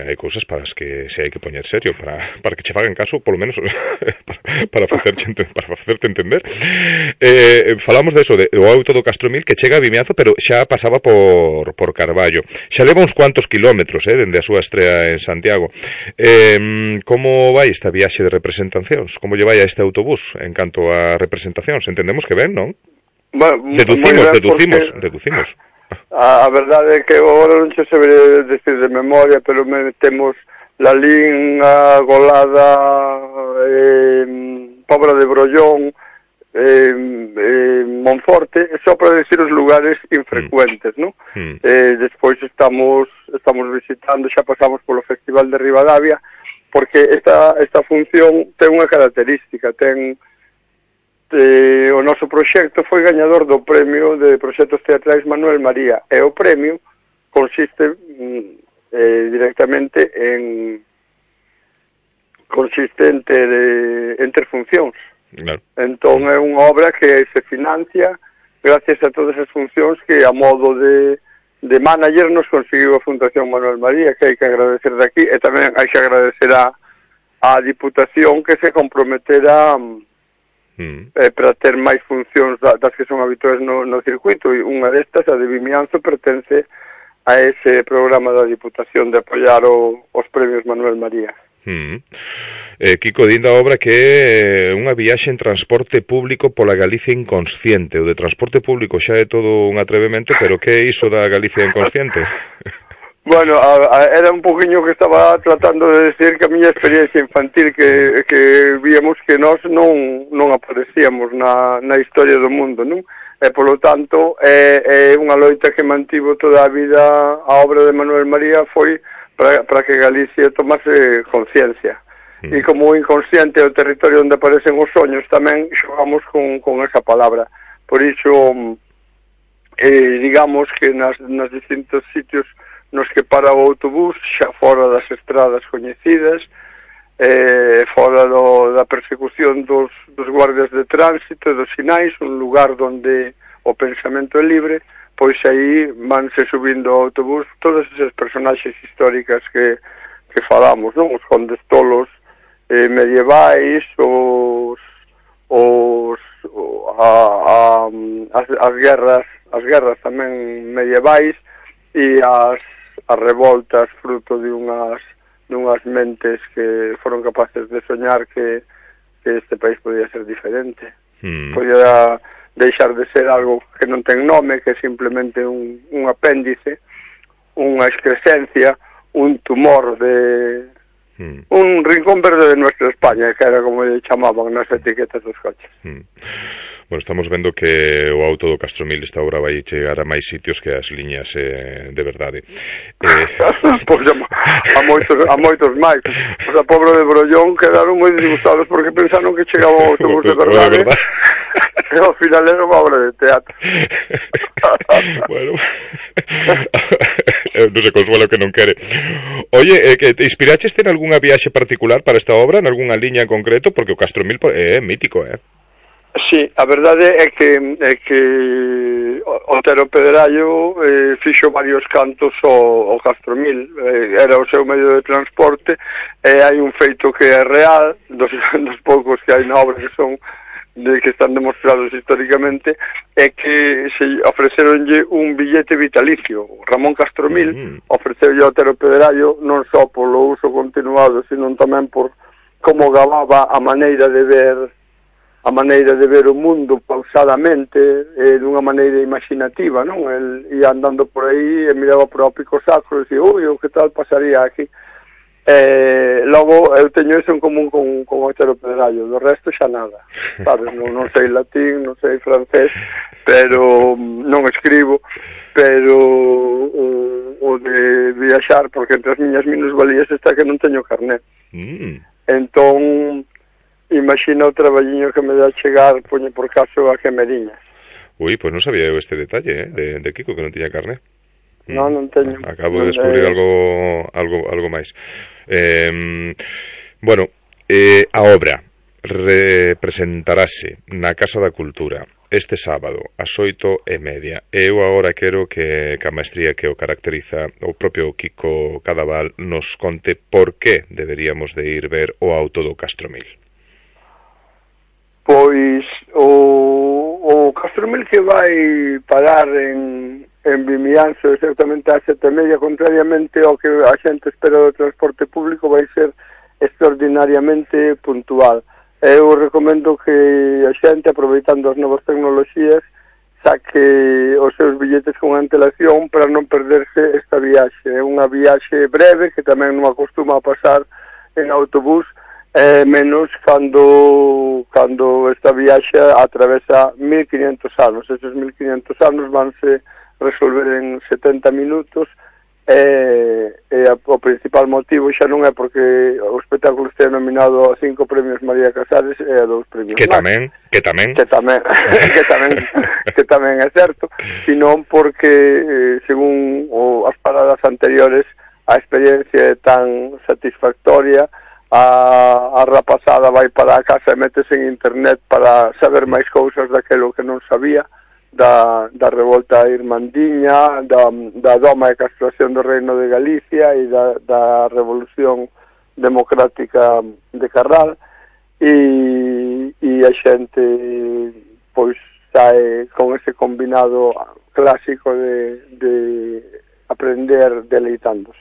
hai cousas para as que se hai que poñer serio, para que che fagan caso, polo menos para facerte entender. Falamos de eso, o auto do Castromil que chega a Vimianzo, pero xa pasaba por Carballo. Xa leva uns cuantos kilómetros, dende a súa estrea en Santiago. Como vai esta viaxe de representacións? Como lle vai a este autobús en canto a representacións? Entendemos que ben, non? Bueno, deducimos. A verdade é que agora non se sabe decir de memoria, pero temos Lalín, Golada, Pobra de Brollón, Monforte, só para decir os lugares infrecuentes, non? Despois estamos visitando, xa pasamos polo Festival de Ribadavia, porque esta función ten unha característica, o noso proxecto foi gañador do premio de proxectos teatrais Manuel María, e o premio consiste directamente en funcións. Claro. Entón é unha obra que se financia gracias a todas as funcións que a modo de manager nos conseguiu a Fundación Manuel María, que hai que agradecer daqui, e tamén hai que agradecer a Diputación que se comprometera para ter máis funcións das que son habituais no circuito, e unha destas, a de Vimianzo, pertence a ese programa da Diputación de apoiar os premios Manuel María. Kiko, din da obra que é unha viaxe en transporte público pola Galicia inconsciente. O de transporte público xa é todo un atrevemento, pero que é iso da Galicia inconsciente? Bueno, era un poquinho que estaba tratando de decir que a miña experiencia infantil que víamos que nós non aparecíamos na historia do mundo, non? E, polo tanto, é unha loita que mantivo toda a vida a obra de Manuel María foi para que Galicia tomase conciencia. E como o inconsciente é o territorio onde aparecen os soños, tamén xogamos con esa palabra. Por iso, digamos que nas distintos sitios nos que para o autobús, xa fora das estradas coñecidas, fora da persecución dos guardias de tránsito e dos sinais, un lugar onde o pensamento é libre, pois aí vanse subindo ao autobús todas esas personaxes históricas que falamos, non? Os condes tolos medievais, as guerras tamén medievais, e as revoltas fruto de unhas mentes que foron capaces de soñar que este país podía ser diferente. Podía deixar de ser algo que non ten nome, que é simplemente un apéndice, unha excrescencia, un tumor un rincón verde de nuestra España, que era como lle chamaban nas etiquetas dos coches. Bueno, estamos vendo que o auto do Castromil esta obra vai chegar a máis sitios que as liñas de verdade. Pois a moitos máis. Pois a Pobra de Brollón quedaron moi disgustados porque pensaron que chegaba o autobús de verdade. E ao final era unha obra de teatro. Bueno, non se consuela que non quere. Oye, que te inspiraches en algunha viaxe particular para esta obra, en algunha liña en concreto? Porque o Castromil é mítico, Sí, a verdade é que Otero Pedrallo fixo varios cantos ao Castromil, era o seu medio de transporte, e hai un feito que é real, dos poucos que hai na obra que están demostrados históricamente, é que se ofreceronlle un billete vitalicio. Ramón Castromil ofreceulle a Otero Pedrallo non só polo uso continuado, sino tamén por como gababa a maneira de ver o mundo pausadamente, dunha maneira imaginativa, non? El ia andando por aí e miraba por o pico sacro e dicía, ui, o que tal pasaría aquí? Logo, eu teño eso en común con Otero Pedrallo, do resto xa nada, sabes? Non sei latín, non sei francés, pero non escribo, pero o de viaxar, porque entre as miñas minusvalías está que non teño carné. Entón, imagina o traballiño que me dá chegar, poñe por caso a Quemeriñas. Ui, pois non sabía eu este detalle, de Kiko, que non tiña carné. Non teño. Acabo de descubrir algo máis. Bueno, a obra representarase na Casa da Cultura este sábado ás 8:30. Eu agora quero que a maestría que o caracteriza o propio Kiko Cadaval nos conte por que deberíamos de ir ver o auto do Castromil. Pois o Castromil que vai parar en Vimianzo exactamente ás 7:30, contrariamente ao que a xente espera do transporte público, vai ser extraordinariamente puntual. Eu recomendo que a xente, aproveitando as novas tecnoloxías, saque os seus billetes con antelación para non perderse esta viaxe. É unha viaxe breve que tamén non acostuma a pasar en autobús, menos cando esta viaxe atravesa 1500 anos. Esos 1500 anos vanse resolver en 70 minutos, o principal motivo xa non é porque o espectáculo este nominado a 5 premios María Casares e a 2 premios que tamén que tamén é certo, sino porque según as paradas anteriores a experiencia é tan satisfactoria, a rapazada vai para a casa e métese en internet para saber máis cousas daquelo que non sabía, da revolta irmandiña, da doma e castración do Reino de Galicia e da Revolución Democrática de Carral, e a xente pois sae con ese combinado clásico de aprender deleitándose.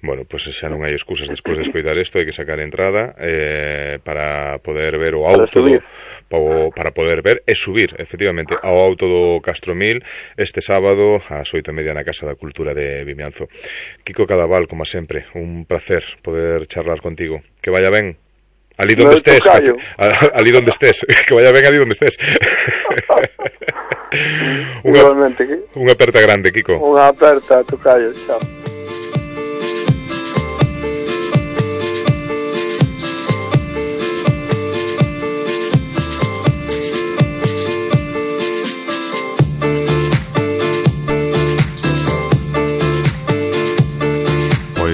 Bueno, pues xa non hai excusas despois de escoitar isto, hai que sacar entrada para poder ver o auto para poder ver e subir efectivamente ao auto do Castromil este sábado ás 8:30 na Casa da Cultura de Vimianzo. Kiko Cadaval, como sempre, un placer poder charlar contigo. Que vaya ben ali donde estés, que vaya ben ali donde estés. Unha aperta grande, Kiko. Unha aperta, tocayo, chao.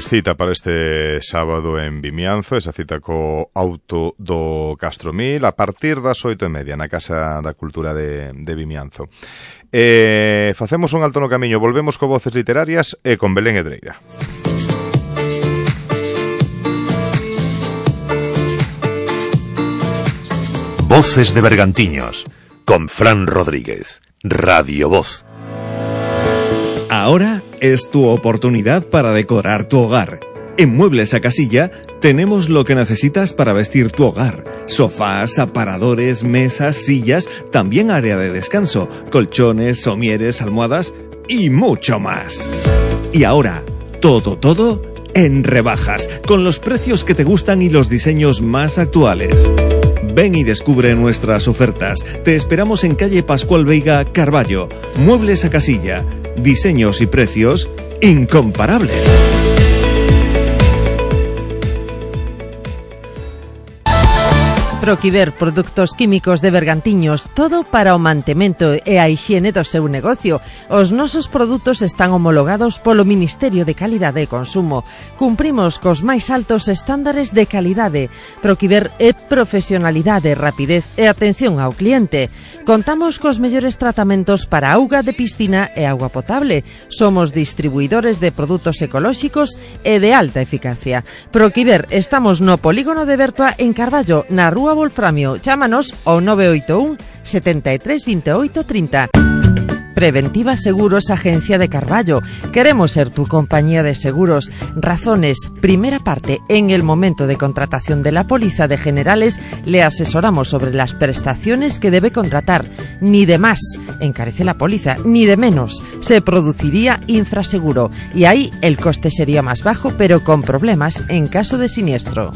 Cita para este sábado en Vimianzo, esa cita co auto do Castromil a partir das 8:30 na Casa da Cultura de Vimianzo. Facemos un alto no camiño, volvemos co Voces Literarias e con Belén Edreira. Voces de Bergantiños con Fran Rodríguez, Radio Voz. Ahora es tu oportunidad para decorar tu hogar. En Muebles a Casilla tenemos lo que necesitas para vestir tu hogar. Sofás, aparadores, mesas, sillas, también área de descanso, colchones, somieres, almohadas y mucho más. Y ahora, todo en rebajas, con los precios que te gustan y los diseños más actuales. Ven y descubre nuestras ofertas. Te esperamos en calle Pascual Veiga, Carballo. Muebles a Casilla. Diseños y precios incomparables. Proquiver, produtos químicos de Bergantiños, todo para o mantemento e a hixiene do seu negocio. Os nosos produtos están homologados polo Ministerio de Calidade e Consumo. Cumprimos cos máis altos estándares de calidade. Proquiver é profesionalidade, rapidez e atención ao cliente. Contamos cos mellores tratamentos para auga de piscina e auga potable. Somos distribuidores de produtos ecolóxicos e de alta eficacia. Proquiver, estamos no polígono de Bertoa en Carballo, na Rúa Wolframio. Chámanos ao 981 73 28 30. Preventiva Seguros, Agencia de Carballo. Queremos ser tu compañía de seguros. Razones. Primera parte. En el momento de contratación de la póliza de generales, le asesoramos sobre las prestaciones que debe contratar. Ni de más encarece la póliza, ni de menos. Se produciría infraseguro. Y ahí el coste sería más bajo, pero con problemas en caso de siniestro.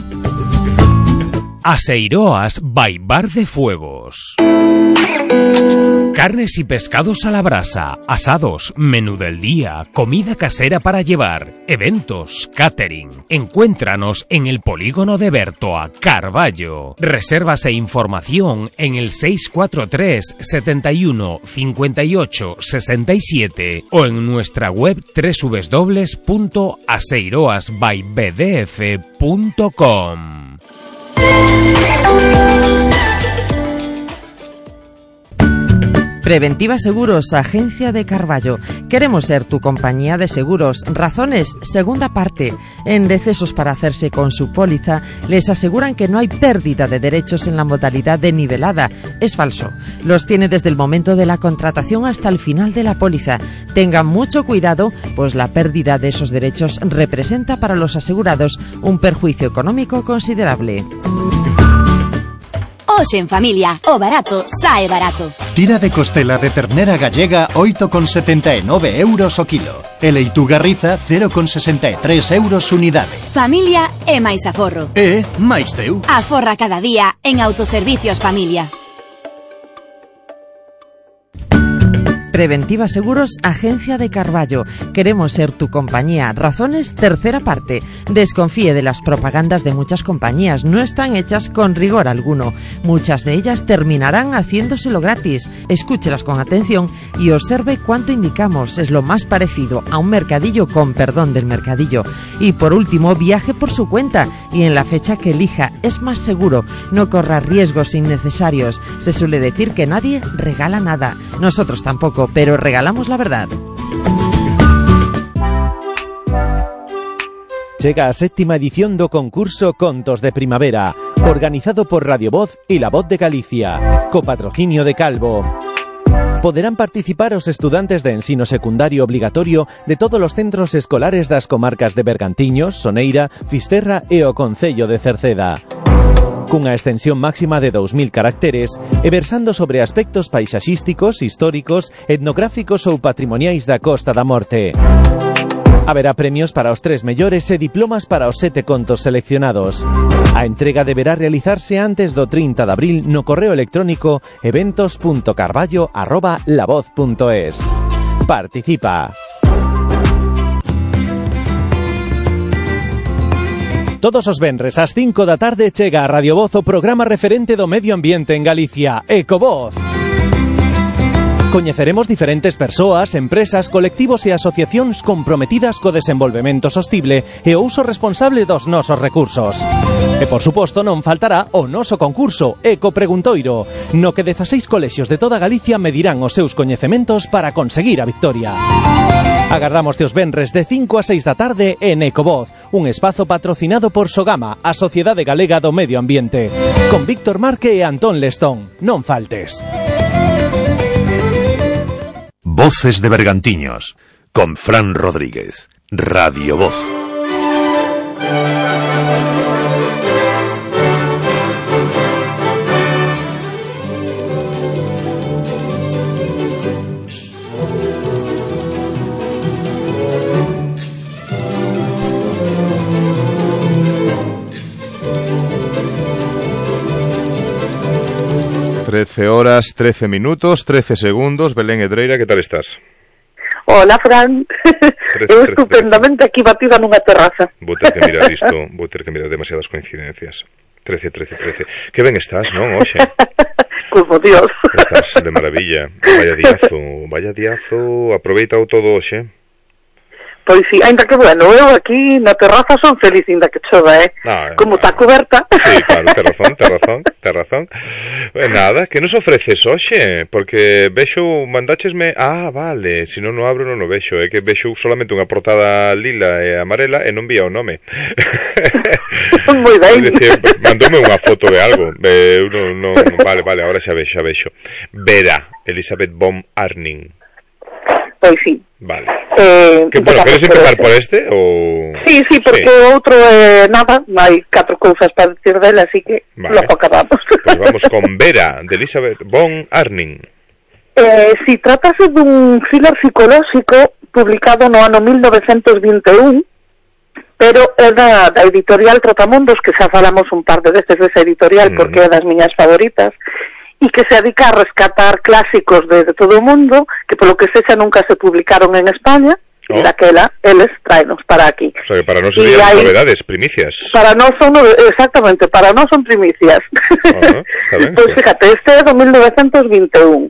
Aseiroas by Bar de Fuegos. Carnes y pescados a la brasa, asados, menú del día, comida casera para llevar, eventos, catering. Encuéntranos en el polígono de Bertoa, Carballo. Reservas e información en el 643 71 58 67 o en nuestra web www.aseiroasbybdf.com. Preventiva Seguros, agencia de Carballo. Queremos ser tu compañía de seguros. Razones, segunda parte. En Decesos para hacerse con su póliza, les aseguran que no hay pérdida de derechos en la modalidad de nivelada. Es falso. Los tiene desde el momento de la contratación hasta el final de la póliza. Tengan mucho cuidado, pues la pérdida de esos derechos representa para los asegurados un perjuicio económico considerable. Hoxe en familia, o barato sae barato. Tira de costela de ternera gallega 8,79 euros o kilo. E leituga riza 0,63 euros unidade. Familia e máis aforro. E máis teu. Aforra cada día en Autoservicios Familia. Preventiva Seguros, agencia de Carballo. Queremos ser tu compañía. Razones, tercera parte. Desconfíe de las propagandas de muchas compañías. No están hechas con rigor alguno. Muchas de ellas terminarán haciéndoselo gratis. Escúchelas con atención y observe cuánto indicamos. Es lo más parecido a un mercadillo, con perdón del mercadillo. Y por último, viaje por su cuenta y en la fecha que elija. Es más seguro. No corra riesgos innecesarios. Se suele decir que nadie regala nada. Nosotros tampoco, pero regalamos la verdad. Chega a séptima edición do concurso Contos de Primavera, organizado por Radio Voz e La Voz de Galicia, co patrocinio de Calvo. Poderán participar os estudantes de ensino secundario obligatorio de todos os centros escolares das comarcas de Bergantiños, Soneira, Fisterra e o concello de Cerceda. Cunha extensión máxima de 2000 caracteres e versando sobre aspectos paisaxísticos, históricos, etnográficos ou patrimoniais da Costa da Morte. Haberá premios para os 3 mellores e diplomas para os 7 contos seleccionados. A entrega deberá realizarse antes do 30 de abril no correo electrónico eventos.carballo@lavoz.es. Participa! Todos os venres ás 5 da tarde chega a Radio Voz o programa referente do medio ambiente en Galicia, Ecovoz. Coñeceremos diferentes persoas, empresas, colectivos e asociacións comprometidas co desenvolvemento sostible e o uso responsable dos nosos recursos. E, por suposto, non faltará o noso concurso Eco Preguntoiro, no que 16 colexios de toda Galicia medirán os seus coñecementos para conseguir a victoria. Agardámoste os venres de 5 a 6 da tarde en Ecovoz, un espazo patrocinado por Sogama, a Sociedade Galega do Medio Ambiente, con Víctor Marque e Antón Lestón. Non faltes. Voces de Bergantiños, con Fran Rodríguez, Radio Voz. Trece horas, 13 minutos, 13 segundos. Belén Edreira, ¿qué tal estás? Hola, Fran. Eu estupendamente aquí batida nunha terraza. Vou ter que mirar isto, vou ter que mirar demasiadas coincidencias. 13. Que ben estás, non, hoxe? Como Dios. Estás de maravilla. Vaya diazo. Aproveita o todo hoxe. Pois sí, ainda que bueno, eu aquí na terraza son feliz ainda que chova, como está coberta. Sí, claro, ten razón. Nada, que nos ofreces hoxe? Porque vexo, mandáchesme... Ah, vale, se non o abro non o vexo, é que vexo solamente unha portada lila e amarela e non vía o nome. Moi ben. Mandoume unha foto de algo. Vale, ahora xa vexo. Vera, Elisabeth von Arnim. Pois sí. Vale. Bueno, queres empezar por este? Ou... Sí, porque o outro nada, hai 4 cousas para decir dela, así que logo acabamos. Pois vamos con Vera, de Elisabeth von Arnim. Si tratase dun thriller psicolóxico publicado no ano 1921, pero é da editorial Trotamundos, que xa falamos un par de veces desa editorial porque é das miñas favoritas, e que se dedica a rescatar clásicos de todo o mundo que polo que sexa nunca se publicaron en España e daquela eles traenos para aquí. O sea que para nós serían novedades, primicias. Para nós son, exactamente, para nós son primicias. Pois fíjate, este é do 1921.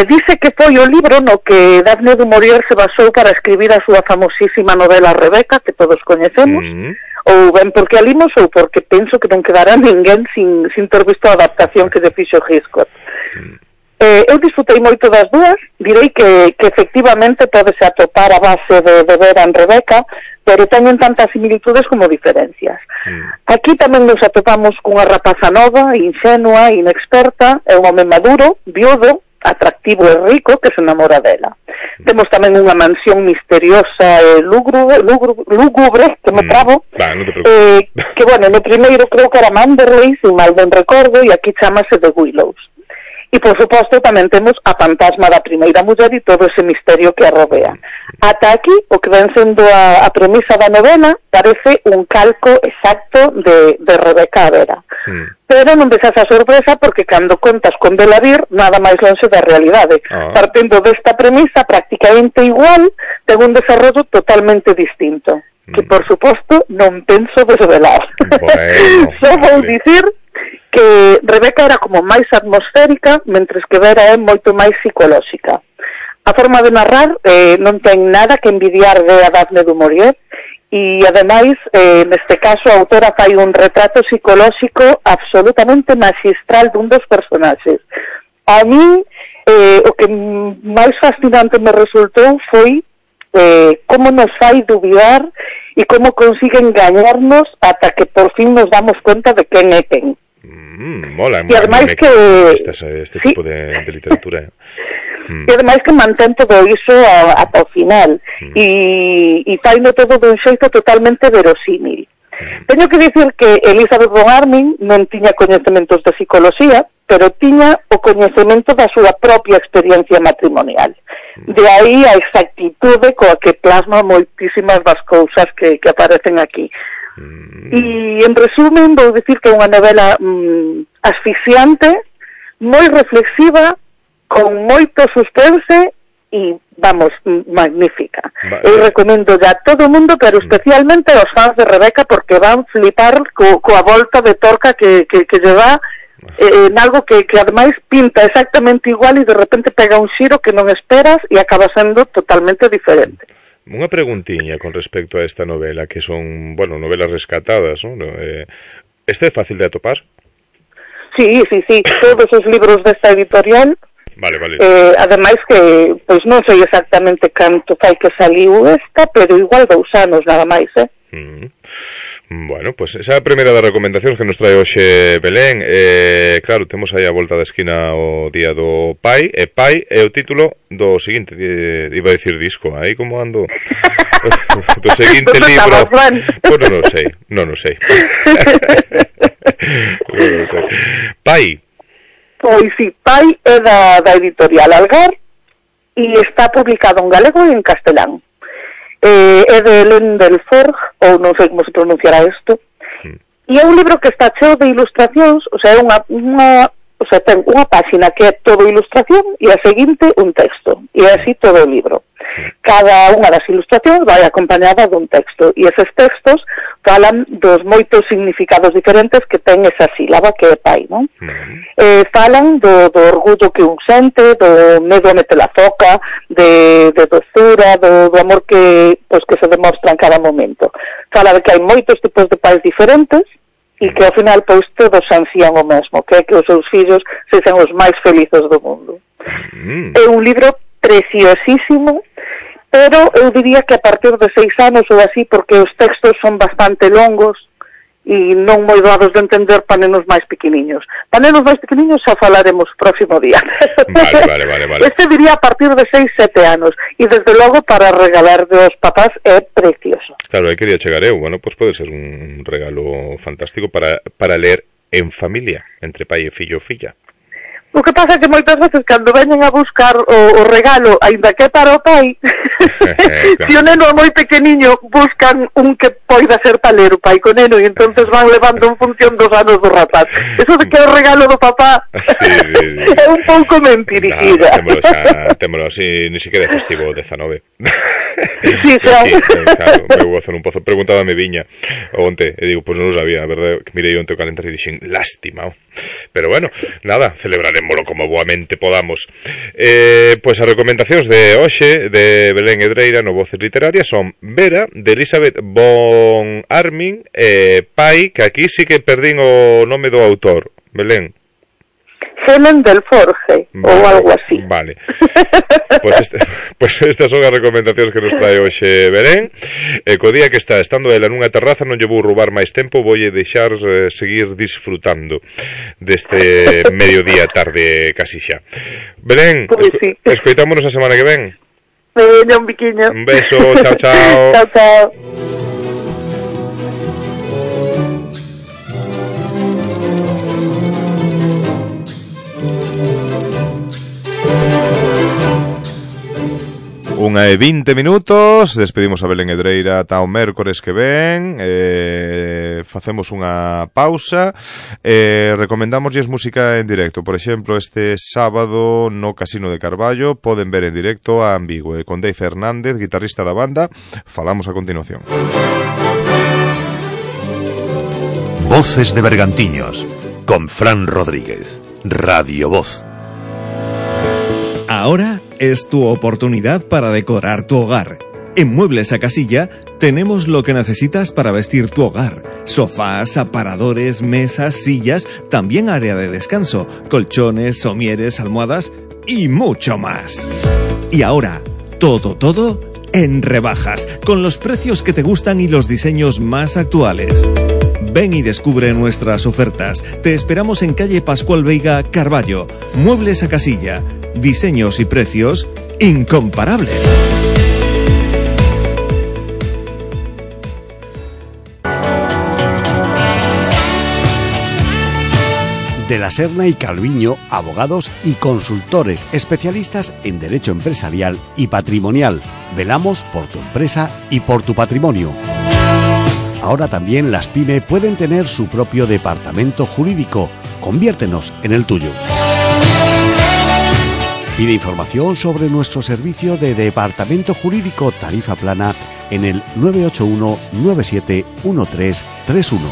Dice que foi o libro no que Daphne du Maurier se basou para escribir a súa famosísima novela Rebeca, que todos coñecemos. Ou ben porque a limos ou porque penso que non quedará ninguén sin ter visto a adaptación que lle fixo Hitchcock. Eu disfrutei moito das dúas, direi que efectivamente podese atopar a base de Vera en Rebeca, pero teñen tantas similitudes como diferencias. Aquí tamén nos atopamos cunha rapaza nova, inxenua, inexperta, é un home maduro, viudo, atractivo e rico que se enamora dela. Temos tamén unha mansión misteriosa e lúgubre, que me trabo, que, bueno, no primeiro creo que era Manderley, se mal ben recordo, e aquí chamase The Willows. E, por suposto, tamén temos a fantasma da primeira muller e todo ese misterio que a rodea. Ata aquí, o que ven sendo a premisa da novela parece un calco exacto de Rebeca a Vera. Pero non ves esa sorpresa porque cando contas con Belavir, nada máis longe da realidade. Partindo desta premisa prácticamente igual, ten un desarrollo totalmente distinto. Que, por suposto, non penso desvelar. Bueno, só vou dicir que Rebeca era como máis atmosférica, mentres que Vera é moito máis psicolóxica. A forma de narrar non ten nada que envidiar de a Daphne du Maurier, e ademais, neste caso, a autora fai un retrato psicolóxico absolutamente magistral dun dos personaxes. A mí, o que máis fascinante me resultou foi como nos fai dubidar e como consigue engañarnos ata que por fin nos damos conta de quen é quen. Mola, e ademais que este tipo de literatura. E ademais que mantén todo iso ata o final e faino todo dun xeito totalmente verosímil. Teño que dicir que Elizabeth von Arnim non tiña coñecementos de psicología, pero tiña o coñecemento da súa propia experiencia matrimonial. De aí a exactitude coa que plasma moitísimas das cousas que aparecen aquí. E, en resumen, vou dicir que é unha novela asfixiante, moi reflexiva, con moito suspense e, vamos, magnífica. Eu recomendo a todo o mundo, pero especialmente aos fans de Rebeca, porque van flipar coa volta de torca que lle dá en algo que ademais pinta exactamente igual e de repente pega un xiro que non esperas e acaba sendo totalmente diferente. Unha preguntiña con respecto a esta novela, que son, bueno, novelas rescatadas, ¿no? Este é fácil de atopar? Sí, todos os libros desta editorial. Vale. Ademais que, pois non sei exactamente canto fai que saliu esta, pero igual 2 anos nada máis, Bueno, pues esa é a primeira das recomendacións que nos trae hoxe Belén. Claro, temos aí a volta da esquina o día do Pai, e Pai é o título do seguinte, iba a dicir disco, aí como ando do seguinte libro. Pues non sei. Pai. Pois si, Pai é da editorial Algar e está publicado en galego e en castelán. É de Hélène Delforge, ou non sei como se pronunciará isto, e é un libro que está cheo de ilustracións, o sea, ten unha páxina que é todo ilustración e a seguinte un texto, e é así todo o libro. Cada unha das ilustracións vai acompañada dun texto, e eses textos falan dos moitos significados diferentes que ten esa sílaba que é pai, non? Falan do orgullo que un sente, do medo a meter a foca, de doçura, do amor que se demostra en cada momento. Fala de que hai moitos tipos de pais diferentes e que ao final pois todos ansían o mesmo, que é que os seus fillos sexan os máis felices do mundo. É un libro preciosísimo, pero eu diría que a partir de 6 anos ou así, porque os textos son bastante longos e non moi doados de entender para nenos máis pequeniños. Para nenos máis pequeniños xa falaremos próximo día. Vale. Este diría a partir de 6-7 anos e desde logo para regalar dos papás é precioso. Claro, aí quería chegar eu, bueno, pois pode ser un regalo fantástico para ler en familia, entre pai e fillo ou filla. O que pasa é que moitas veces cando veñen a buscar o regalo, aínda que para o pai, se o neno é moi pequeniño, buscan un que poida ser para ler o pai co neno e entonces van levando en función dos anos do rapaz. Eso de que é o regalo do papá é un pouco mentiricida. Témolo así, ni siquiera é festivo 19. Sí, claro, me vou a hacer un pozo. Preguntaba a mi viña onte, e digo, pues non o sabía, a verdade, que mirei onte o calendario e dixen, lástima. Pero bueno, nada, celebraremoslo como boamente podamos. Pois as recomendacións de hoxe de Belén Edreira no Voces Literarias son Vera, de Elizabeth von Arnim, Pai, que aquí sí que perdín o nome do autor. Belén. Helen del Forge, ou algo así. Vale. Pois estas son as recomendacións que nos trae hoxe Belén. Co día que está estando ela nunha terraza non lle vou roubar máis tempo, voulle deixar seguir disfrutando deste mediodía tarde casi xa. Belén, pues sí. Escoitámonos a semana que ven. Un biquiño. Un beso, chao, chao. Chao, chao. Unha e 20 minutos, despedimos a Belén Edreira ata o mércores que ven, facemos unha pausa, recomendámoslles música en directo. Por exemplo, este sábado no Casino de Carballo poden ver en directo a Ambigue con Dave Fernández, guitarrista da banda. Falamos a continuación. Voces de Bergantiños con Fran Rodríguez, Radio Voz. Ahora es tu oportunidad para decorar tu hogar. En Muebles a Casilla tenemos lo que necesitas para vestir tu hogar. Sofás, aparadores, mesas, sillas, también área de descanso, colchones, somieres, almohadas y mucho más. Y ahora, todo en rebajas, con los precios que te gustan y los diseños más actuales. Ven y descubre nuestras ofertas. Te esperamos en calle Pascual Veiga, Carballo. Muebles a Casilla. Diseños y precios incomparables. De la Serna y Calviño, abogados y consultores especialistas en derecho empresarial y patrimonial. Velamos por tu empresa y por tu patrimonio. Ahora también las PYME pueden tener su propio departamento jurídico. Conviértenos en el tuyo. Pide información sobre nuestro servicio de departamento jurídico tarifa plana en el 981 971331.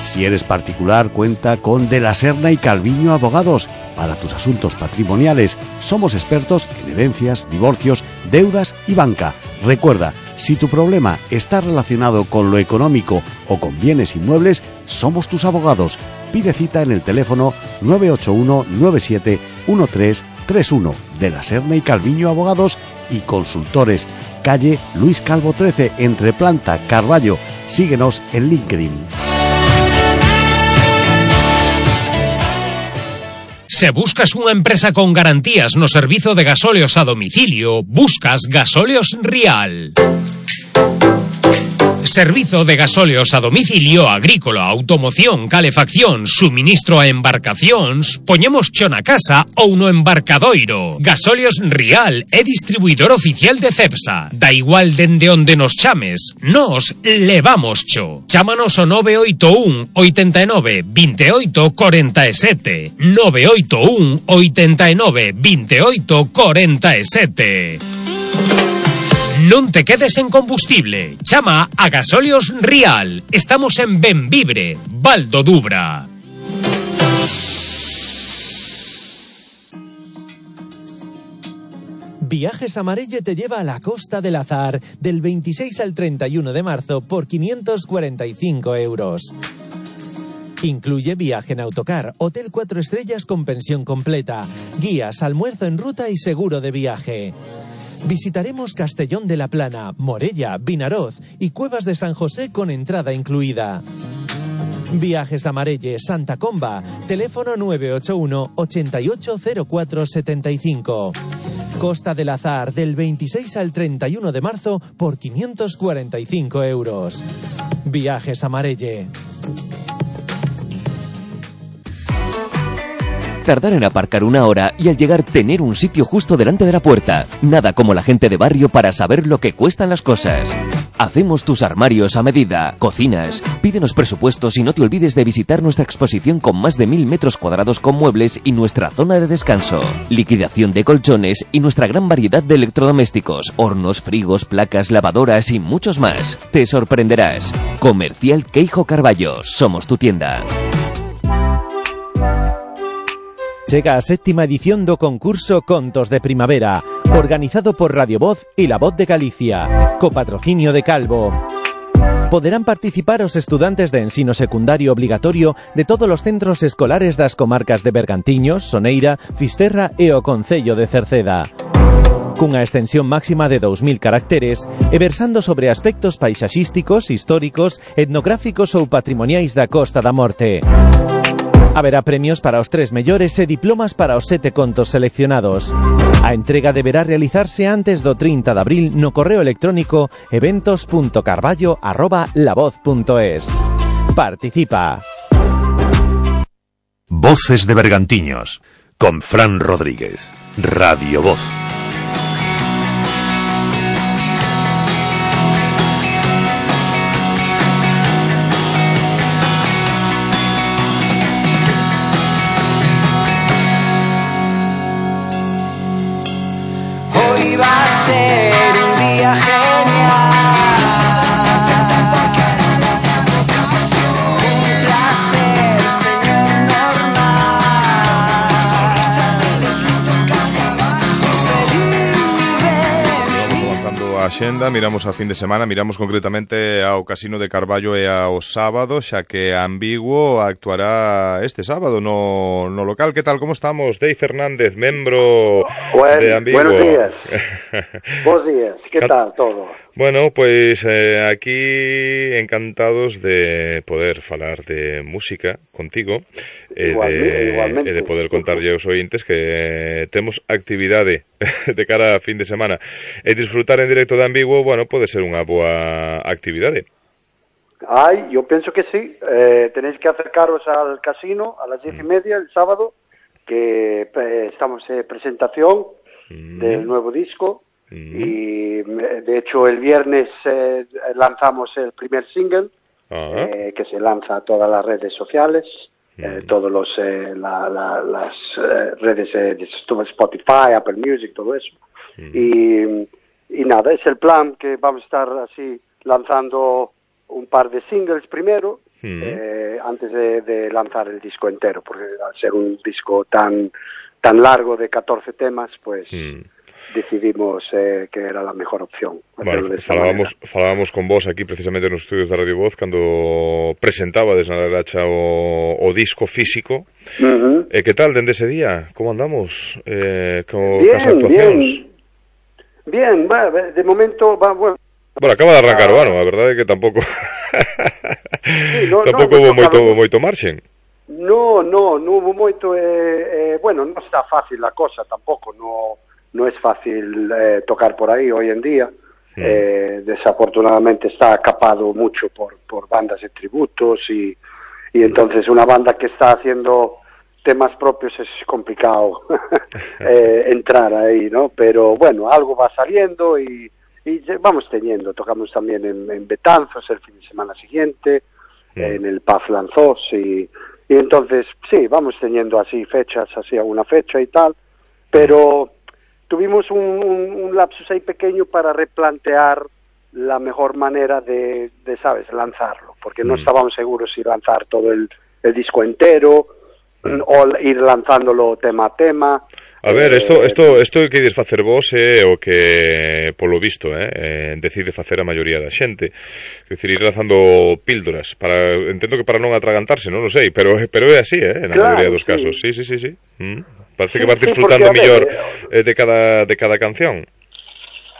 Si eres particular, cuenta con De la Serna y Calviño Abogados. Para tus asuntos patrimoniales, somos expertos en herencias, divorcios, deudas y banca. Recuerda, si tu problema está relacionado con lo económico o con bienes inmuebles, somos tus abogados. Pide cita en el teléfono 981 971331. De la Serna y Calviño Abogados y Consultores. Calle Luis Calvo 13, entre Planta, Carballo. Síguenos en LinkedIn. Se buscas unha empresa con garantías no servizo de gasóleos a domicilio, buscas Gasóleos Rial. Servizo de gasóleos a domicilio, agrícola, automoción, calefacción, suministro a embarcacións, poñemos cho na casa ou no embarcadoiro. Gasóleos Rial é distribuidor oficial de Cepsa. Da igual dende onde nos chames, nos levamos cho. Chámanos ao 981 89 28 47. 981 89 28 47. Non te quedes en combustible. Chama a Gasóleos Rial. Estamos en Benvibre, Val do Dubra. Viajes Amarelle te lleva a la Costa del Azar del 26 al 31 de marzo por 545 euros. Incluye viaje en autocar, hotel 4 estrellas con pensión completa, guías, almuerzo en ruta y seguro de viaje. Visitaremos Castellón de la Plana, Morella, Vinaroz y Cuevas de San José con entrada incluida. Viajes Amarelle, Santa Comba, teléfono 981 880475. Costa del Azar, del 26 al 31 de marzo por 545 euros. Viajes Amarelle. Tardar en aparcar una hora y al llegar tener un sitio justo delante de la puerta. Nada como la gente de barrio para saber lo que cuestan las cosas. Hacemos tus armarios a medida, cocinas. Pídenos presupuestos y no te olvides de visitar nuestra exposición con más de 1000 metros cuadrados con muebles y nuestra zona de descanso. Liquidación de colchones y nuestra gran variedad de electrodomésticos, hornos, frigos, placas, lavadoras y muchos más. Te sorprenderás. Comercial Queijo Carballo. Somos tu tienda. Chega a 7ª edición do concurso Contos de Primavera, organizado por Radio Voz y La Voz de Galicia, co patrocinio de Calvo. Poderán participar os estudantes de ensino secundario obligatorio de todos os centros escolares das comarcas de Bergantiños, Soneira, Fisterra e o Concello de Cerceda. Cunha extensión máxima de 2000 caracteres e versando sobre aspectos paisaxísticos, históricos, etnográficos ou patrimoniais da Costa da Morte. Haberá premios para os 3 mellores e diplomas para os 7 contos seleccionados. A entrega deberá realizarse antes do 30 de abril no correo electrónico eventos.carballo@lavoz.es. Participa. Voces de Bergantiños, con Fran Rodríguez, Radio Voz. Hoy va a ser un día genial. Un placer, señor Avanzando a xenda, miramos a fin de semana, miramos concretamente ao Casino de Carballo e ao sábado, xa que Ambiguo actuará este sábado no local. Que tal, como estamos? Dei Fernández, membro de Ambiguo. Buenos días. Bos días, que tal todo? Bueno, pois aquí encantados de poder falar de música contigo igualmente. E de poder contarlle aos ointes que temos actividade de cara a fin de semana e disfrutar en directo de Ambiguo, bueno, pode ser unha boa actividade. Yo pienso que sí. Tenéis que acercaros al casino a las 10:30 el sábado, que estamos en presentación del nuevo disco. Y de hecho el viernes lanzamos el primer single que se lanza a todas las redes sociales, todos las redes de Spotify, Apple Music, todo eso. Y nada, es el plan, que vamos a estar así lanzando un par de singles primero antes de lanzar el disco entero, porque al ser un disco tan largo de 14 temas, pues decidimos que era la mejor opción. Bueno, falábamos con vos aquí precisamente nos estudios de Radio Voz cando presentabades na Laracha o disco físico. Que tal dende ese día? Como andamos cas actuacións? Bien, de momento bueno, acaba de arrancar o ano, a verdade é que tampouco tampouco houve moito marxen. No hubo moito, bueno, non está fácil a cosa tampouco, no es fácil tocar por ahí hoy en día. Desafortunadamente está capado mucho por bandas de tributos y entonces una banda que está haciendo temas propios es complicado entrar ahí, ¿no? Pero bueno, algo va saliendo y vamos teniendo. Tocamos también en Betanzos el fin de semana siguiente, en el Paz Lanzós y entonces sí, vamos teniendo así fechas, así alguna fecha y tal, pero tuvimos un lapsus ahí pequeño para replantear la mejor manera de ¿sabes?, lanzarlo, porque no estábamos seguros si lanzar todo el disco entero o ir lanzándolo tema a tema. A ver, isto que ides facer vos é o que, polo visto, decide facer a maioría da xente. É dicir, ir lanzando píldoras, entendo que para non atragantarse, non o sei, pero é así, na maioría dos casos. Sí. Parece que vas disfrutando mellor de cada canción.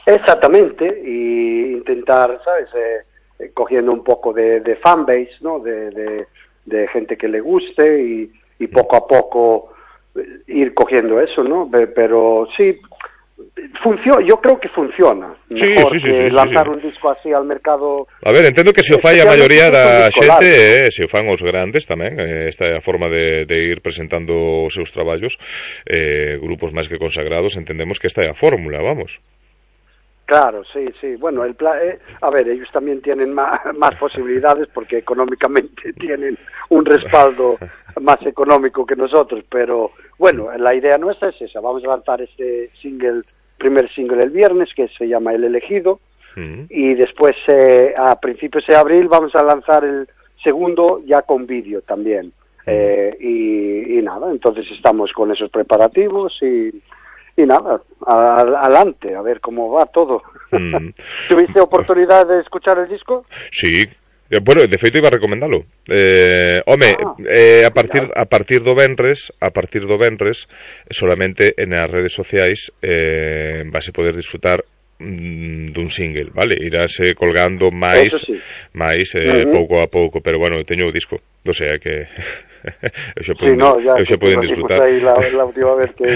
Exactamente, y intentar, ¿sabes?, cogiendo un poco de fanbase, ¿no?, de gente que le guste y poco a poco ir cogiendo eso, ¿no? Pero sí, yo creo que funciona. Mejor que lanzar un disco así al mercado. A ver, entendo que se o fai a maioría da xente, se o fan os grandes tamén, esta é a forma de ir presentando os seus traballos, grupos máis que consagrados, entendemos que esta é a fórmula, vamos. Claro, sí. Bueno, a ver, ellos también tienen más posibilidades porque económicamente tienen un respaldo más económico que nosotros, pero bueno, la idea nuestra es esa. Vamos a lanzar este primer single el viernes, que se llama El Elegido, y después a principios de abril vamos a lanzar el segundo ya con vídeo también. Y nada, entonces estamos con esos preparativos y Y nada, adelante, a ver cómo va todo. ¿Tuviste oportunidad de escuchar el disco? Sí. Bueno, de feito iba a recomendalo. A partir do venres, solamente nas redes sociais vas a poder disfrutar dun single, vale? Irase colgando máis pouco a pouco, pero bueno, teño o disco, o sea que eu xa poden disfrutar. La última vez que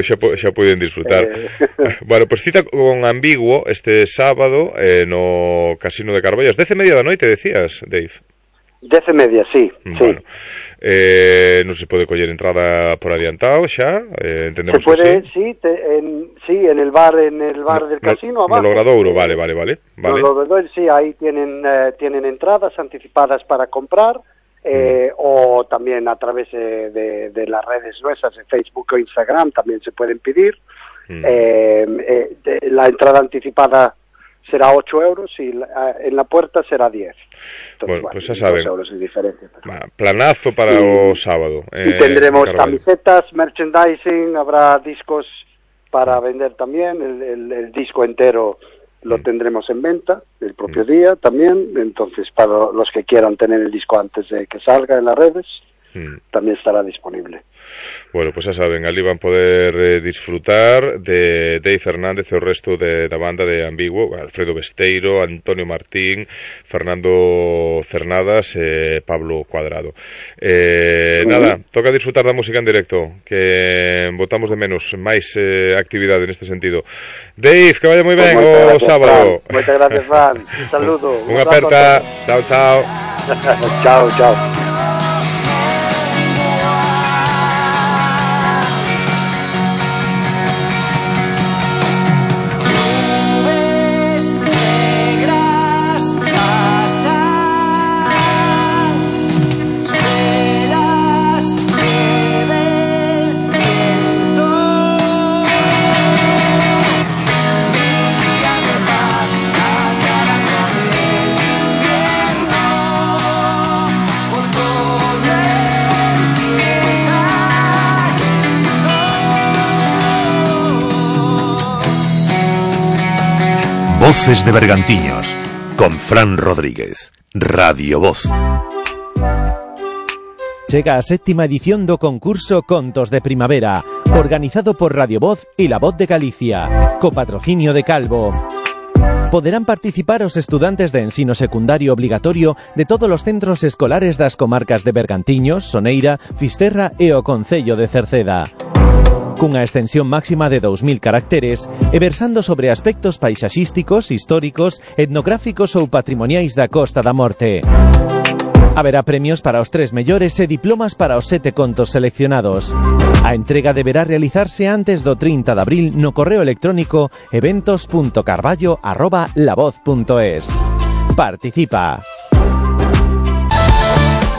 xa poden disfrutar. Bueno, pues cita con Ambiguo este sábado no Casino de Carballo, 10:30 da noite, decías, Dave. 10:30, sí. Bueno, non se pode coller entrada por adiantado xa, entendemos se puede, que sí. Sí, en el bar del casino abajo. No Logradouro, vale. Sí, ahí tienen entradas anticipadas para comprar, o también a través de las redes nuestras, de Facebook o Instagram, también se pueden pedir. La entrada anticipada será 8 euros y en la puerta será 10. Entonces, bueno, pues ya saben. 2 euros es diferente. Planazo para o sábado. Y tendremos camisetas, merchandising, habrá discos para vender también. El disco entero lo tendremos en venta el propio día también. Entonces, para los que quieran tener el disco antes de que salga en las redes, también estará disponible. Bueno, pues ya saben, ali van poder disfrutar de Dave Fernández e o resto da banda de Ambiguo, Alfredo Besteiro, Antonio Martín, Fernando Cernadas e Pablo Cuadrado. Nada, toca disfrutar da música en directo, que botamos de menos máis actividade neste sentido. Dave, que vaya moi ben o sábado. Moitas gracias, Juan. Un saludo. Unha aperta. Chao. Chao. Voces de Bergantiños, con Fran Rodríguez, Radio Voz. Chega a 7ª edición do concurso Contos de Primavera, organizado por Radio Voz e La Voz de Galicia, co patrocinio de Calvo. Poderán participar os estudantes de ensino secundario obligatorio de todos os centros escolares das comarcas de Bergantiños, Soneira, Fisterra e o concello de Cerceda. Cunha extensión máxima de 2000 caracteres e versando sobre aspectos paisaxísticos, históricos, etnográficos ou patrimoniais da Costa da Morte. Haberá premios para os 3 mellores e diplomas para os 7 contos seleccionados. A entrega deberá realizarse antes do 30 de abril no correo electrónico eventos.carballo@lavoz.es. Participa.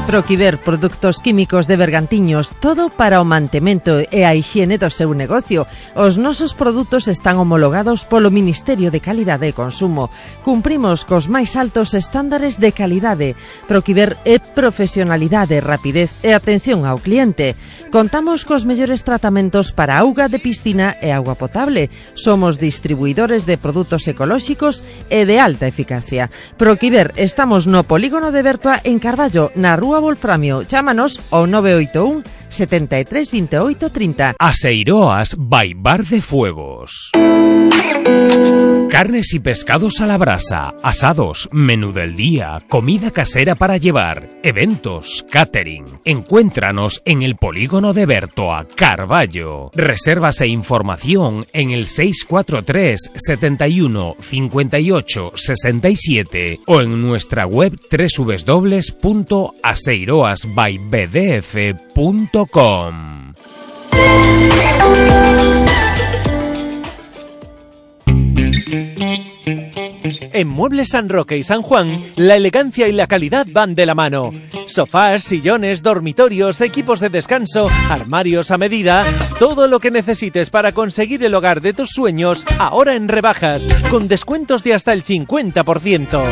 Proquiver, produtos químicos de Bergantiños, todo para o mantemento e a hixiene do seu negocio. Os nosos produtos están homologados polo Ministerio de Calidade e Consumo. Cumprimos cos máis altos estándares de calidade. Proquiver é profesionalidade, rapidez e atención ao cliente. Contamos cos mellores tratamentos para auga de piscina e auga potable. Somos distribuidores de produtos ecolóxicos e de alta eficacia. Proquiver, estamos no polígono de Bertoa en Carballo, na Rúa Wolframio. Chámanos ao 981 73 28 30. Aseiroas by Bar de Fuegos. Carnes y pescados a la brasa, asados, menú del día, comida casera para llevar, eventos, catering. Encuéntranos en el polígono de Bertoa, Carballo. Reservas e información en el 643 71 58 67 o en nuestra web www.aseiroasbybdf.com. En Muebles San Roque y San Juan, la elegancia y la calidad van de la mano. Sofás, sillones, dormitorios, equipos de descanso, armarios a medida, todo lo que necesites para conseguir el hogar de tus sueños, ahora en rebajas, con descuentos de hasta el 50%.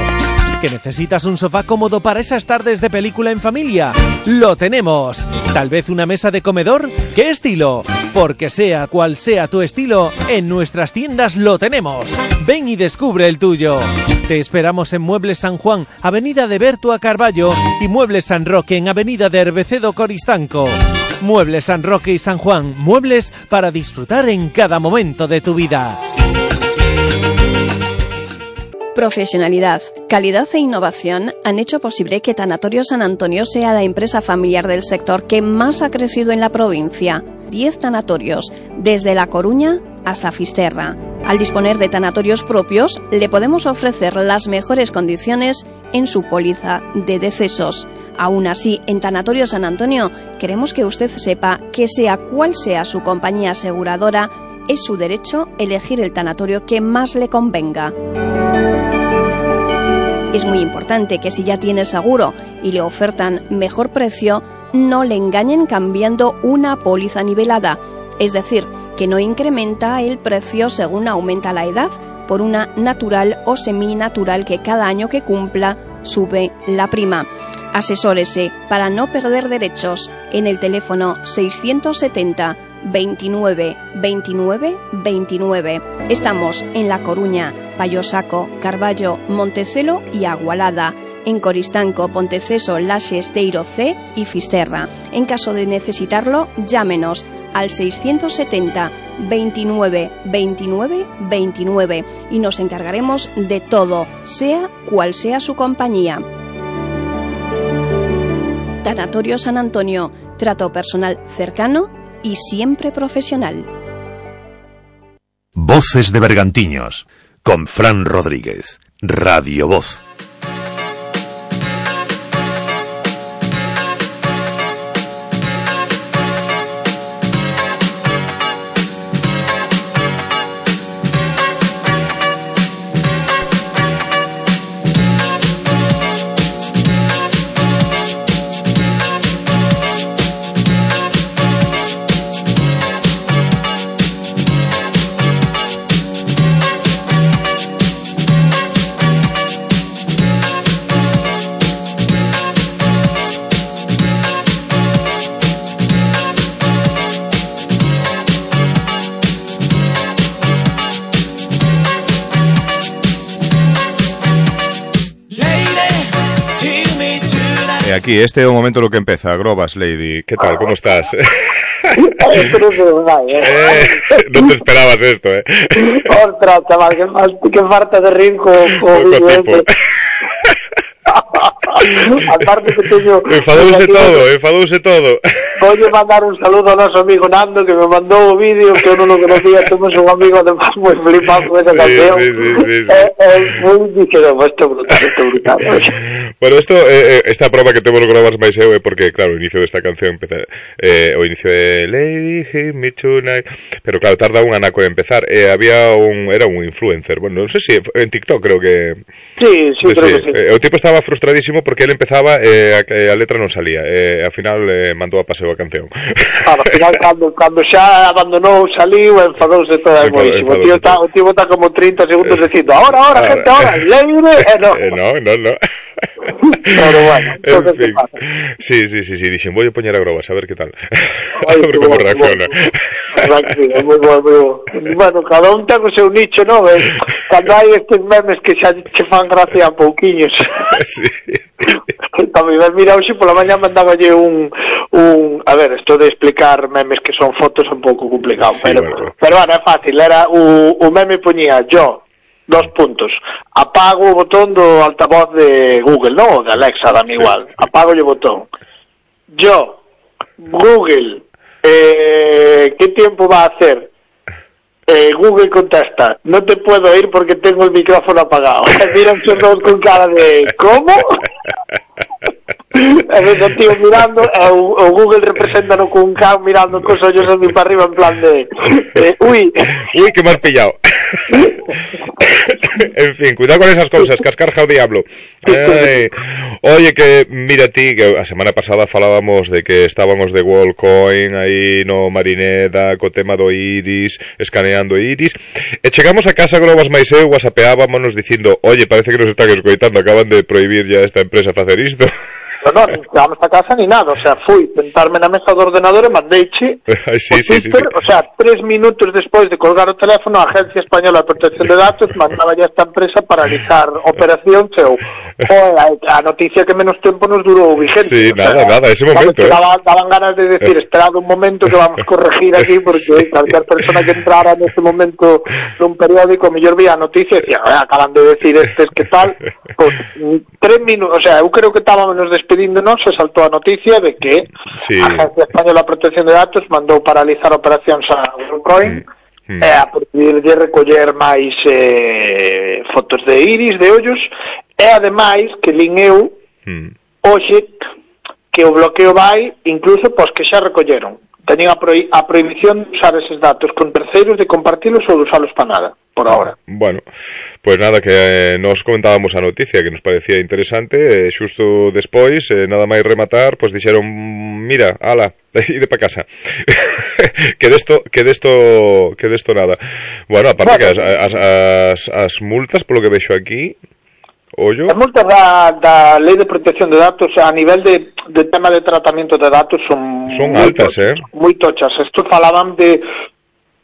¿Que necesitas un sofá cómodo para esas tardes de película en familia? ¡Lo tenemos! ¿Tal vez una mesa de comedor? ¿Qué estilo? Porque sea cual sea tu estilo, en nuestras tiendas lo tenemos. Ven y descubre el tuyo. Te esperamos en Muebles San Juan, Avenida de Berto a Carballo, y Muebles San Roque en Avenida de Herbecedo Coristanco. Muebles San Roque y San Juan, muebles para disfrutar en cada momento de tu vida. Profesionalidad, calidad e innovación han hecho posible que Tanatorio San Antonio sea la empresa familiar del sector que más ha crecido en la provincia. 10 tanatorios, desde La Coruña hasta Fisterra. Al disponer de tanatorios propios, le podemos ofrecer las mejores condiciones en su póliza de decesos. Aún así, en Tanatorio San Antonio, queremos que usted sepa que sea cual sea su compañía aseguradora, es su derecho elegir el tanatorio que más le convenga. Es muy importante que si ya tiene seguro y le ofertan mejor precio, no le engañen cambiando una póliza nivelada, es decir, que no incrementa el precio según aumenta la edad, por una natural o seminatural que cada año que cumpla sube la prima. Asesórese para no perder derechos en el teléfono 670 29 29 29. Estamos en La Coruña, Payosaco, Carballo, Montecelo y Agualada. En Coristanco, Ponteceso, Laxe, Esteiro C y Fisterra. En caso de necesitarlo, llámenos al 670 29 29 29 y nos encargaremos de todo, sea cual sea su compañía. Tanatorio San Antonio, trato personal cercano y siempre profesional. Voces de Bergantiños, con Fran Rodríguez, Radio Voz. Aquí, este é o momento no que empeza. Grobas, Lady. ¿Qué tal? ¿Cómo estás? No te esperabas esto, ¿eh? Ostras, chaval, que falta de rir con vídeo. Aparte que teño... Enfadouse todo. Voy a mandar un saludo a noso amigo Nando, que me mandou o vídeo, que eu non o conocía, temos un amigo además moi flipado con esa canción. Sí. Dixeron, esto é brutal. Bueno, esta prova que temos Grobas máis eu é porque, claro, o inicio desta canción empeza, o inicio de Lady Hit Me Tonight, pero claro, tarda un anaco en empezar. Era un influencer, bueno, non sei se en TikTok creo que... Sí, creo que sí. O tipo estaba frustradísimo porque él empezaba a letra non salía, ao final mandou a paseo a canción. Claro, ao final cando xa abandonou, saliu, enfadouse todo moísimo. O tío está como 30 segundos dicindo, ahora, gente, ahora, no. Pero bueno, en fin. Sí, dixen, voy a poñer a Grobas, a ver que tal. A ver como reacciona. Moi bo. Bueno, cada un ten o seu nicho, non? Cando hai estes memes que xa che fan gracia a pouquiños. Sí. Tamén, mira, hoxe pola mañá mandáballe un... A ver, esto de explicar memes que son fotos é un pouco complicado, sí, pero bueno, é fácil. Era o meme poñía yo, 2 puntos, apago o botón do altavoz de Google, non? De Alexa, dame igual, apago o botón. Yo, Google, ¿qué tiempo va a hacer? Google contesta, no te puedo oír porque tengo el micrófono apagado. Miran todos con cara de ¿cómo? O tío mirando, o Google represéntano con un can mirando cos ollos a mí para arriba en plan de uy, que me has pillado. En fin, cuidado con esas cosas, cascarja o diablo. Oye, que mira ti, que a semana pasada falábamos de que estábamos de Wallcoin aí no Marineda co tema do Iris, escaneando Iris, e chegamos a casa Grobas máis eu, whatsappeábamos dicindo, oye, parece que nos están escoitando, acaban de prohibir ya esta empresa facer isto. No, nin chegamos a casa ni nada, o sea, fui sentarme na mesa do ordenador e mandeiche sí. O sea, 3 minutos despois de colgar o teléfono, a Agencia Española de Protección de Datos mandaba ya esta empresa paralizar operación a noticia que menos tempo nos durou vigente. Sí, nada, ese momento, daban ganas de decir, esperad un momento que vamos a corregir aquí, porque cualquier persona que entrara neste momento nun periódico, mellor vía a noticia e decía, acaban de decir que tal, pues 3 minutos, o sea, eu creo que estábamos despedíndonos, se saltou a noticia de que a Agencia Española de Protección de Datos mandou paralizar operacións a Bitcoin a prohibirlle recoller máis fotos de iris, de ollos, e ademais que lin eu hoxe que o bloqueo vai incluso pos que xa recolleron. Teñen a prohibición de usar eses datos con terceiros, de compartilos ou de usalos para nada, por ahora. Bueno, pues nada, que nos comentábamos a noticia que nos parecía interesante, xusto despois, nada máis rematar, pues dixeron, mira, ala, ide pa casa. que desto nada. Bueno, aparte que as multas, polo que vexo aquí, ollo. As multas da Lei de Protección de Datos a nivel de tema de tratamento de datos son altas, moi tochas. Estos falaban de,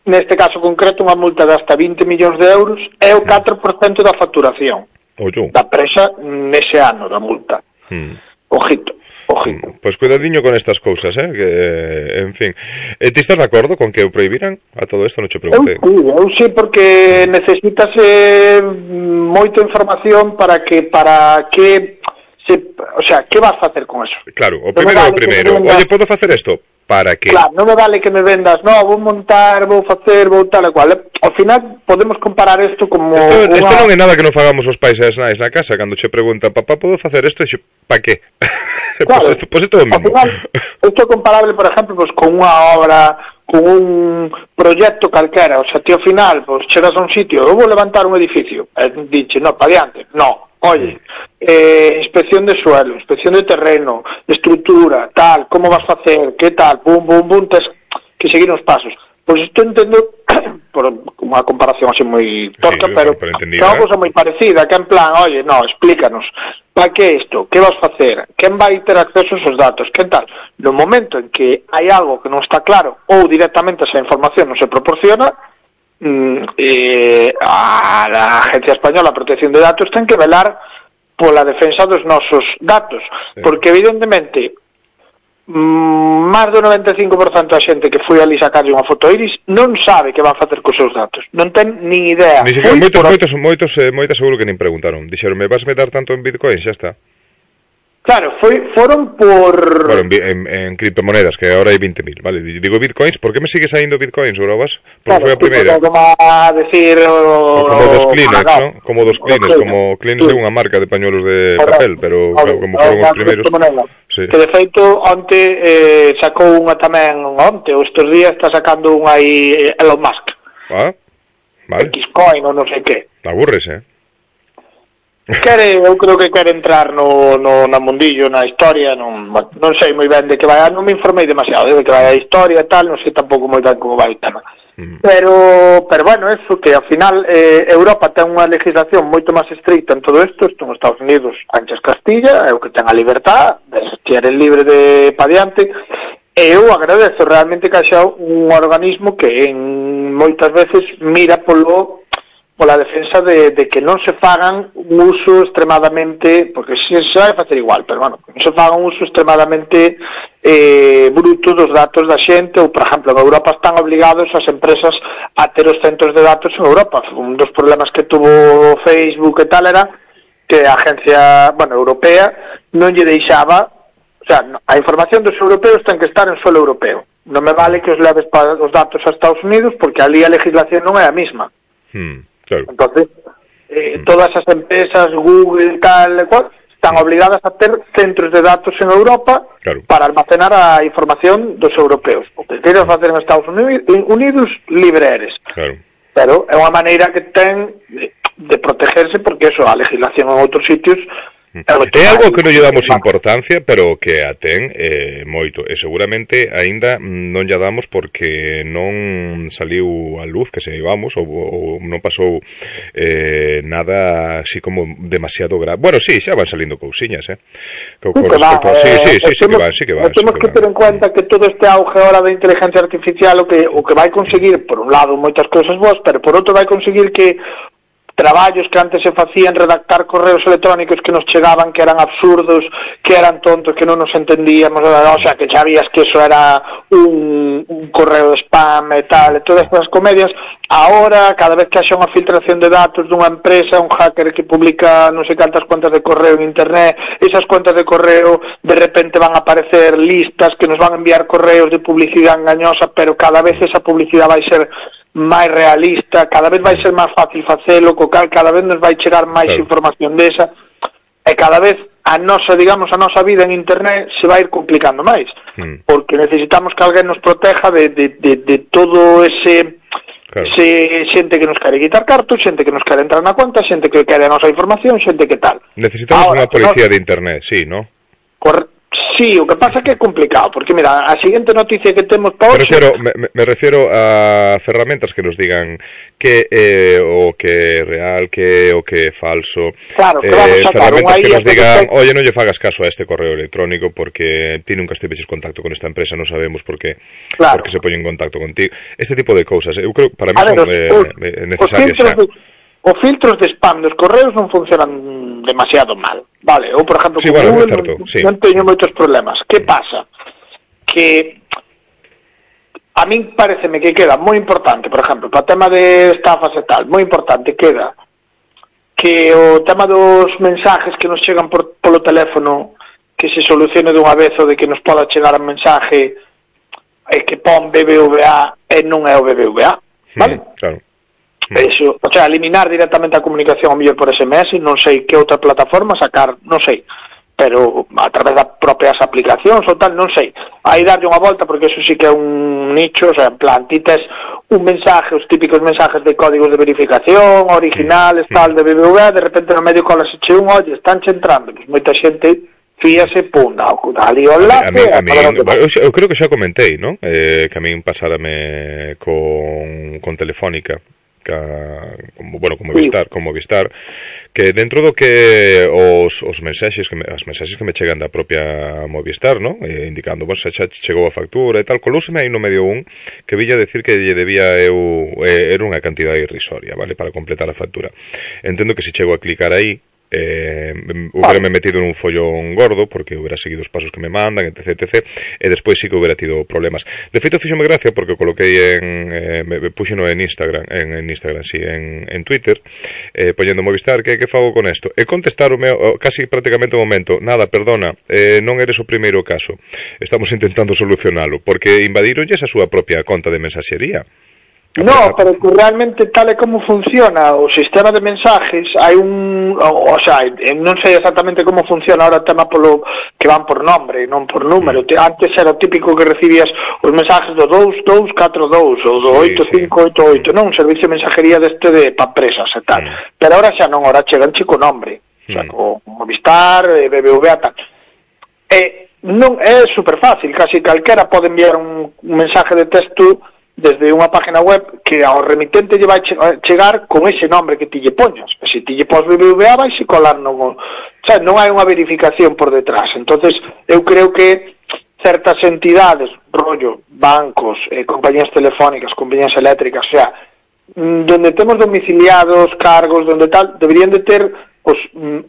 neste caso concreto, unha multa de hasta 20 millóns de euros e o 4% da facturación da empresa nese ano da multa. Ojito. Pues cuidadiño con estas cousas, que, en fin. Ti estás de acordo con que o prohibiran a todo isto? Non che preguntei. Eu sí, porque necesitas moita información para que o sea, que vas facer con eso? Claro, o primeiro. Oye, podo facer isto? Para que? Claro, non me vale que me vendas, vou montar, vou facer, vou tal e cual. Ao final podemos comparar isto como Isto non é nada que non fagamos os pais e as nais na casa, cando che preguntan, papá, podo facer isto? E pa que? Claro, pues isto é o mesmo. Ao final, isto é comparable, por exemplo, pues, con unha obra, con un proxecto calquera. O sea, ti ao final, pues, chegas a un sitio, eu vou levantar un edificio, e dixe, no, pa diante, no. Oye, inspección de suelo, inspección de terreno, estructura, tal, como vas a hacer, qué tal, bum, tens que seguir uns pasos. Pois isto entendo por unha comparación así moi torca, pero é unha cosa moi parecida, que en plan, oye, no, explícanos, para que isto, que vas a facer, quen vai ter acceso a esos datos, quen tal. No momento en que hai algo que non está claro ou directamente esa información non se proporciona, a Agencia Española de Protección de Datos ten que velar pola defensa dos nosos datos, porque evidentemente máis do 95% da xente que foi ali sacarlle unha foto iris non sabe que van facer cos seus datos, non ten nin idea. Ni siquiera, moitos seguro que nin preguntaron, dixeron, me vas dar tanto en Bitcoin, xa está. Claro, foron por... Bueno, en criptomonedas, que ahora hai 20.000, vale. Digo bitcoins, por que me sigue saindo bitcoins, Urobas? Porque foi a primeira. Como a decir... como dos Kleenex, ¿no? Como dos Kleenex, como Kleenex é unha marca de pañuelos de papel, pero como foron os primeiros... Sí. Que de feito, onte sacou unha tamén, ou estes días está sacando unha aí Elon Musk. Ah, vale. Xcoin ou non sei que. Aburres, Eu creo que quere entrar no mundillo, na historia, non sei moi ben de que vai, non me informei demasiado de que vai a historia e tal, non sei tampouco moi ben como vai o tema. Pero bueno, eso que ao final Europa ten unha legislación moito máis estricta en todo isto en Estados Unidos, anches Castilla, é o que ten a libertad, se eres libre de pa diante, e eu agradezo realmente que haxa un organismo que moitas veces mira pola defensa de que non se fagan un uso extremadamente, porque se vai facer igual, pero bueno, non se fagan un uso extremadamente bruto dos datos da xente, ou por exemplo, en Europa están obligados as empresas a ter os centros de datos en Europa. Un dos problemas que tuvo Facebook e tal era que a agencia, europea non lle deixaba, o sea, a información dos europeos ten que estar en suelo europeo. Non me vale que os leves para os datos a Estados Unidos, porque ali a legislación non é a mesma. Claro. Entonces, todas as empresas, Google, tal e cual, están obligadas a ter centros de datos en Europa para almacenar a información dos europeos. O que queiras facer en Estados Unidos, libre eres. Claro. Pero é unha maneira que ten de protegerse, porque eso, a legislación en outros sitios É algo que non lle damos importancia, pero que a ten moito, e seguramente aínda non lle damos porque non saliu a luz que se vamos, ou non pasou nada así como demasiado grave. Bueno, sí, xa van salindo cousiñas, sí que van. Temos que ter en cuenta que todo este auge ahora da inteligencia artificial o que vai conseguir, por un lado, moitas cousas boas, pero por outro vai conseguir que traballos que antes se facían, redactar correos electrónicos que nos chegaban, que eran absurdos, que eran tontos, que non nos entendíamos, o sea, que sabías que eso era un correo de spam e tal, e todas estas comedias. Ahora, cada vez que haxa unha filtración de datos dunha empresa, un hacker que publica non sei cantas cuentas de correo en internet, esas cuentas de correo de repente van a aparecer listas que nos van a enviar correos de publicidade engañosa, pero cada vez esa publicidade vai ser máis realista, cada vez vai ser máis fácil facelo, co cal cada vez nos vai chegar máis información desa, e cada vez a nosa vida en internet se vai ir complicando máis, porque necesitamos que alguén nos proteja de todo ese xente que nos quere quitar cartos, xente que nos quere entrar na conta, xente que quere a nosa información, xente que tal. Necesitamos unha policía de internet, sí, ¿no? Sí, o que pasa é que é complicado, porque mira, a seguinte noticia que temos para hoxe... Me refiero a ferramentas que nos digan que é o que é real, que é o que é falso. Claro, que vamos a sacar ferramentas que nos digan, oye, non lle fagas caso a este correo electrónico porque ti nunca estiveches contacto con esta empresa, non sabemos por que se poñen en contacto contigo. Este tipo de cousas, eu creo que para mí son necesarias xa. Os filtros de spam dos correos non funcionan demasiado mal, vale? Ou, por exemplo, sí, bueno, Google non teño moitos problemas. Que pasa? Que a min pareceme que queda moi importante, por exemplo, para o tema de estafas e tal, moi importante queda que o tema dos mensajes que nos chegan polo teléfono que se solucione dunha vez o de que nos poda chegar un mensaje que pon BBVA e non é o BBVA, vale? Claro. Eso, o sea, eliminar directamente a comunicación ao mellor por SMS, non sei que outra plataforma sacar, non sei, pero a través das propias aplicacións ou tal, non sei. Aí darlle unha volta porque eso sí que é un nicho, o sea, en plan, ti tes un mensaje, os típicos mensajes de códigos de verificación, originales, tal, de BBVA, de repente no medio cola se che un, oye, están che entrando, pues moita xente fíase, pum, ali o enlace... Eu creo que xa comentei, non? Que a min pasárame con Telefónica, con Movistar, que dentro do que os mensaxes que me chegan da propia Movistar, ¿no? Indicando, xa chegou a factura e tal, colúseme aí no medio que villa decir que lle debía era unha cantidade irrisoria, vale, para completar a factura. Entendo que se chego a clicar aí hubiérame metido nun follón gordo porque hubiera seguido os pasos que me mandan, etc, e despois sí que hubiera tido problemas. De feito, fíxome gracia porque coloquei me puxeno en Instagram, en Twitter, poñendo Movistar, que fago con isto? E contestaronme casi prácticamente un momento, nada, perdona, non eres o primeiro caso, estamos intentando solucionalo, porque invadironlles a súa propia conta de mensaxería. No, pero que realmente tal e como funciona o sistema de mensajes, hai o sea, non sei exactamente como funciona ahora o tema polo que van por nombre, non por número. Antes era o típico que recibías os mensajes do 2242 ou do 8588, non, un servicio de mensajería deste para empresas e tal. Pero ahora xa non, ahora chegan chico nombre, o sea, con Movistar, BBVA, tal. Non é super fácil, casi calquera pode enviar un mensaje de texto desde unha página web que ao remitente lle vai chegar con ese nombre que ti lle poñas. Se ti lle pos BBVA vai se colar non hai unha verificación por detrás. Entonces, eu creo que certas entidades, rollo, bancos, compañías telefónicas, compañías eléctricas, o sea, donde temos domiciliados, cargos, donde tal, deberían de ter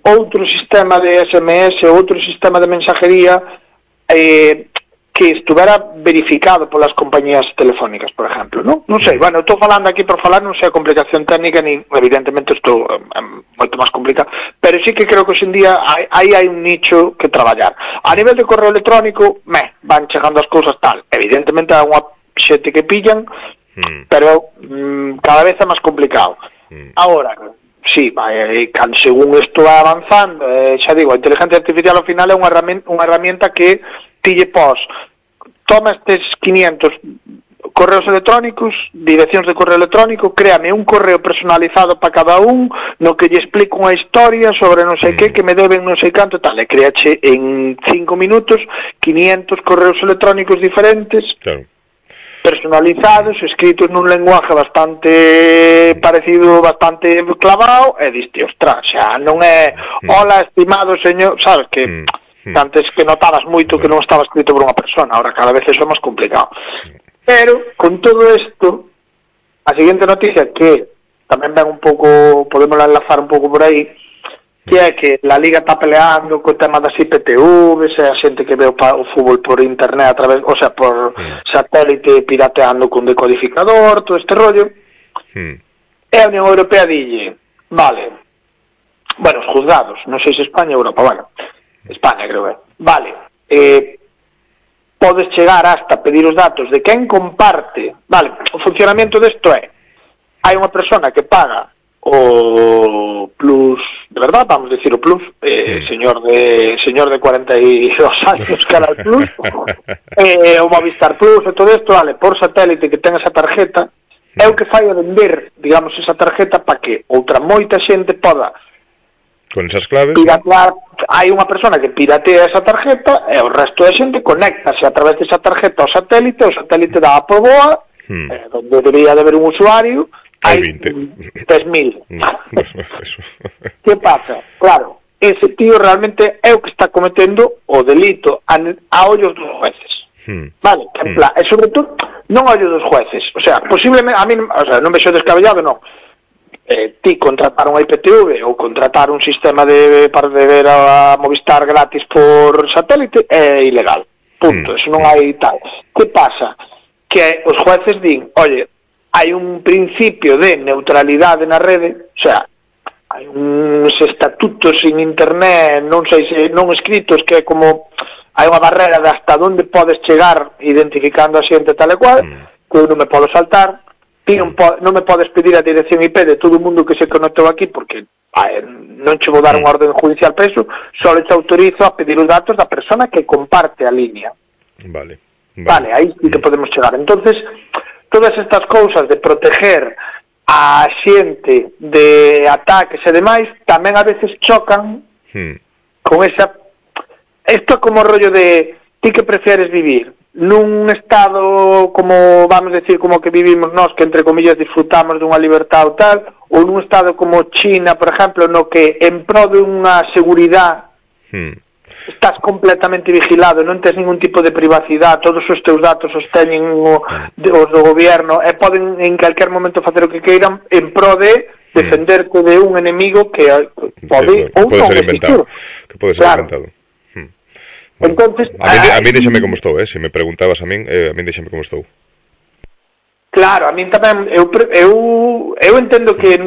outro sistema de SMS, outro sistema de mensajería que estuvera verificado polas compañías telefónicas, por exemplo, non? Non sei, bueno, estou falando aquí por falar, non sei a complicación técnica, ni evidentemente estou moito máis complicado, pero sí que creo que hoxendía aí hai un nicho que traballar. A nivel de correo electrónico, van chegando as cousas tal, evidentemente hai unha xente que pillan, pero cada vez é máis complicado. Agora, sí, según isto vai avanzando, xa digo, a inteligencia artificial ao final é unha herramienta que ti lle pos, toma estes 500 correos electrónicos, direccións de correo electrónico, créame un correo personalizado para cada un, no que lle explico unha historia sobre non sei que me deben non sei canto, tal, e créache en 5 minutos 500 correos electrónicos diferentes, claro, personalizados, escritos nun lenguaje bastante parecido, bastante clavado, e diste, ostras, xa non é hola, estimado señor, sabes que antes que notabas moito que non estaba escrito por unha persona, ahora cada vez eso é máis complicado. Pero, con todo isto, a seguinte noticia que tamén ven un pouco, podemos enlazar un pouco por aí, que é que la Liga está peleando co tema das IPTVs, a xente que ve o fútbol por internet a través, o sea, por satélite pirateando con decodificador, todo este rollo. E a Unión Europea dille, vale, bueno, os juzgados, non sei se España ou Europa, bueno, España creo que vale, podes chegar hasta pedir os datos de quen comparte, vale, o funcionamento desto é, hai unha persona que paga o plus, de verdad, vamos a decir o plus, señor de 42 anos cara al plus, o Movistar Plus e todo isto, vale, por satélite que ten esa tarjeta, é o que fai a vender, digamos, esa tarjeta para que outra moita xente poda con esas claves piratear. Hai unha persona que piratea esa tarjeta e o resto da xente conéctase a través desa tarjeta ao satélite, o satélite dá por boa, onde debería de haber un usuario, hai 3.000. Que pasa? Claro, ese tío realmente é o que está cometendo o delito a ollos dos jueces. Vale, en plan, e sobre todo non a ollos dos jueces, o sea, posiblemente a mí, o sea, non vexo descabellado, non. Ti contratar unha IPTV ou contratar un sistema para ver a Movistar gratis por satélite é ilegal, punto, eso non hai tal. Que pasa? Que os jueces din, oye, hai un principio de neutralidade na rede, o sea, hai uns estatutos en internet, non sei se non escritos, que é como hai unha barrera de hasta onde podes chegar identificando a xente tal e cual, que eu non me podo saltar. Non me podes pedir a dirección IP de todo o mundo que se conectou aquí porque non che vou dar unha orden judicial preso, só te autorizo a pedir os datos da persona que comparte a línea. Vale, aí sí que podemos chegar. Entonces, todas estas cousas de proteger a xente de ataques e demais tamén a veces chocan con esa... Isto é como o rollo de ti que prefieres vivir nun estado como, vamos a decir, como que vivimos nós, que entre comillas disfrutamos dunha libertad ou tal, ou nun estado como China, por exemplo, no que en pro de unha seguridade estás completamente vigilado, non tens ningún tipo de privacidade, todos os teus datos os teñen os do goberno e poden en calquer momento facer o que queiran en pro de defenderte de un enemigo que pode ser inventado. Que pode ser inventado. Entonces, a mí déxame como estou, se me preguntabas a min déxame como estou. Claro, a min tamén eu entendo que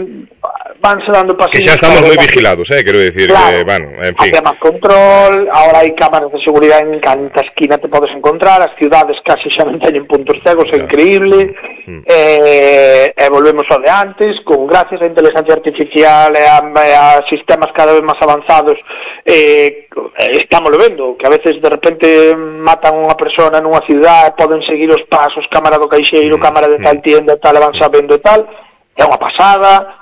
vanse dando pasos. Que xa estamos moi vigilados, quero dicir, claro, que, bueno, en fin. Hai máis control, agora hai cámaras de seguridade en canta esquina te podes encontrar, as ciudades casi xa non teñen puntos cegos, é increíble, e volvemos ao de antes, con gracias á inteligencia artificial e a sistemas cada vez máis avanzados, estamos vendo, que a veces de repente matan unha persona nunha ciudade, poden seguir os pasos, cámara do caixeiro, cámara de tal tienda, tal, e van sabendo e tal, é unha pasada.